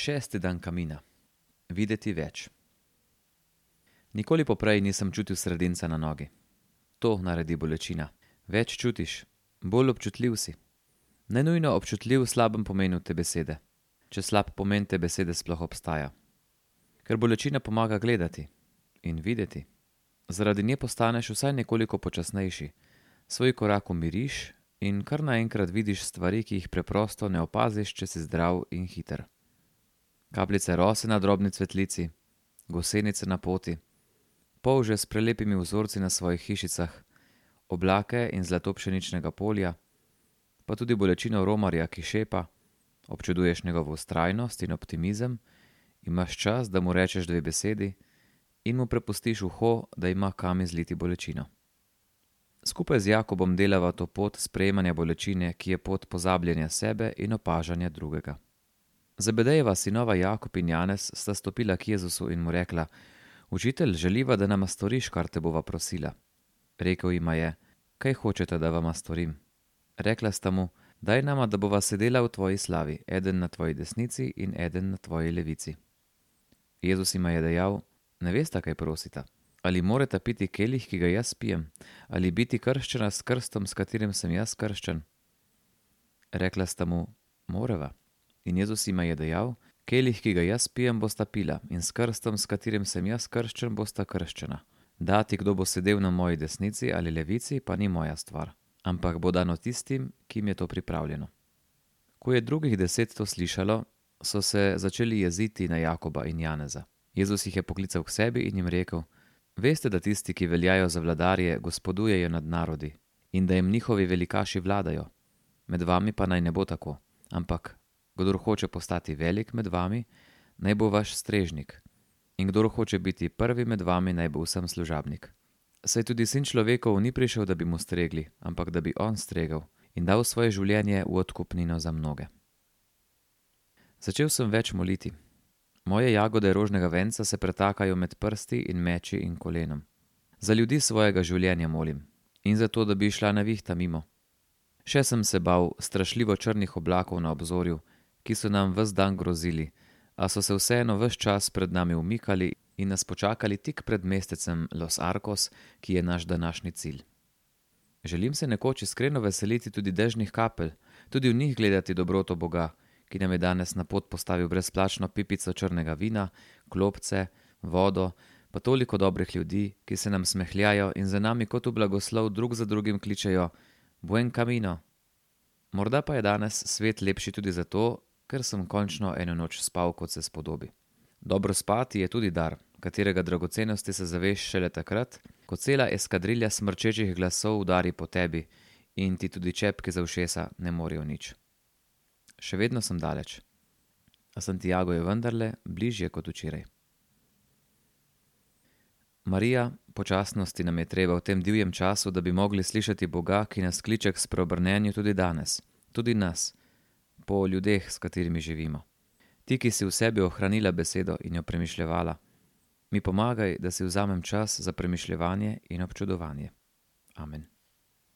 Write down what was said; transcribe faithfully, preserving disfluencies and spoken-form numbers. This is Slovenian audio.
Šesti dan kamina. Videti več. Nikoli poprej nisem čutil sredinca na nogi. To naredi bolečina. Več čutiš, bolj občutljiv si. Ne nujno občutljiv v slabem pomenu te besede, če slab pomen te besede sploh obstaja. Ker bolečina pomaga gledati in videti. Zaradi nje postaneš vsaj nekoliko počasnejši, svoj korak umiriš in kar naenkrat vidiš stvari, ki jih preprosto ne opaziš, če si zdrav in hiter. Kapljice rose na drobni cvetlici, gosenice na poti, polže s prelepimi vzorci na svojih hišicah, oblake in zlato pšeničnega polja, pa tudi bolečino romarja, ki šepa, občuduješ njegovo vztrajnost in optimizem, imaš čas, da mu rečeš dve besedi in mu prepustiš uho, da ima kam izliti bolečino. Skupaj z Jakobom delava to pot sprejemanja bolečine, ki je pot pozabljanja sebe in opažanja drugega. Zebedejeva sinova Jakob in Janez sta stopila k Jezusu in mu rekla: Učitelj, želiva, da nama storiš, kar te bova prosila. Rekel jima je: Kaj hočete, da vama storim? Rekla sta mu: Daj nama, da bova sedela v tvoji slavi, eden na tvoji desnici in eden na tvoji levici. Jezus jima je dejal: Ne vesta, kaj prosita. Ali morata piti kelih, ki ga jaz pijem, ali biti krščena s krstom, s katerim sem jaz krščen? Rekla sta mu: Morava. In Jezus jima je dejal: Kelih, ki ga jaz pijem, bosta pila, in s krstom, s katerim sem jaz krščen, bosta krščena. Dati, kdo bo sedel na moji desnici ali levici, pa ni moja stvar, ampak bo dano tistim, ki jim je to pripravljeno. Ko je drugih deset to slišalo, so se začeli jeziti na Jakoba in Janeza. Jezus jih je poklical k sebi in jim rekel: Veste, da tisti, ki veljajo za vladarje, gospodujejo nad narodi in da jim njihovi velikaši vladajo. Med vami pa naj ne bo tako, ampak kdor hoče postati velik med vami, naj bo vaš strežnik, in kdor hoče biti prvi med vami, naj bo vsem služabnik. Saj tudi sin človekov ni prišel, da bi mu stregli, ampak da bi on stregel in dal svoje življenje v odkupnino za mnoge. Začel sem več moliti. Moje jagode rožnega venca se pretakajo med prsti in meči in kolenom. Za ljudi svojega življenja molim in za to, da bi šla nevihta mimo. Še sem se bal strašljivo črnih oblakov na obzorju, ki so nam ves dan grozili, a so se vseeno ves čas pred nami umikali in nas počakali tik pred mestecem Los Arcos, ki je naš današnji cilj. Želim se nekoč iskreno veseliti tudi dežnih kapelj, tudi v njih gledati dobroto Boga, ki nam je danes na pot postavil brezplačno pipico črnega vina, klopce, vodo, pa toliko dobrih ljudi, ki se nam smehljajo in za nami kot v blagoslov drug za drugim kličejo: Buen camino. Morda pa je danes svet lepši tudi zato, ker sem končno eno noč spal, kot se spodobi. Dobro spati je tudi dar, katerega dragocenosti se zaveš šele takrat, ko cela eskadrilja smrčečih glasov udari po tebi in ti tudi čepki za ušesa ne morejo nič. Še vedno sem daleč, a Santiago je vendarle bližje kot včeraj. Marija, počasnosti nam je treba v tem divjem času, da bi mogli slišati Boga, ki nas kliče k spreobrnenju tudi danes, tudi nas, po ljudeh, s katerimi živimo. Ti, ki si v sebi ohranila besedo in jo premišljevala, mi pomagaj, da si vzamem čas za premišljevanje in občudovanje. Amen.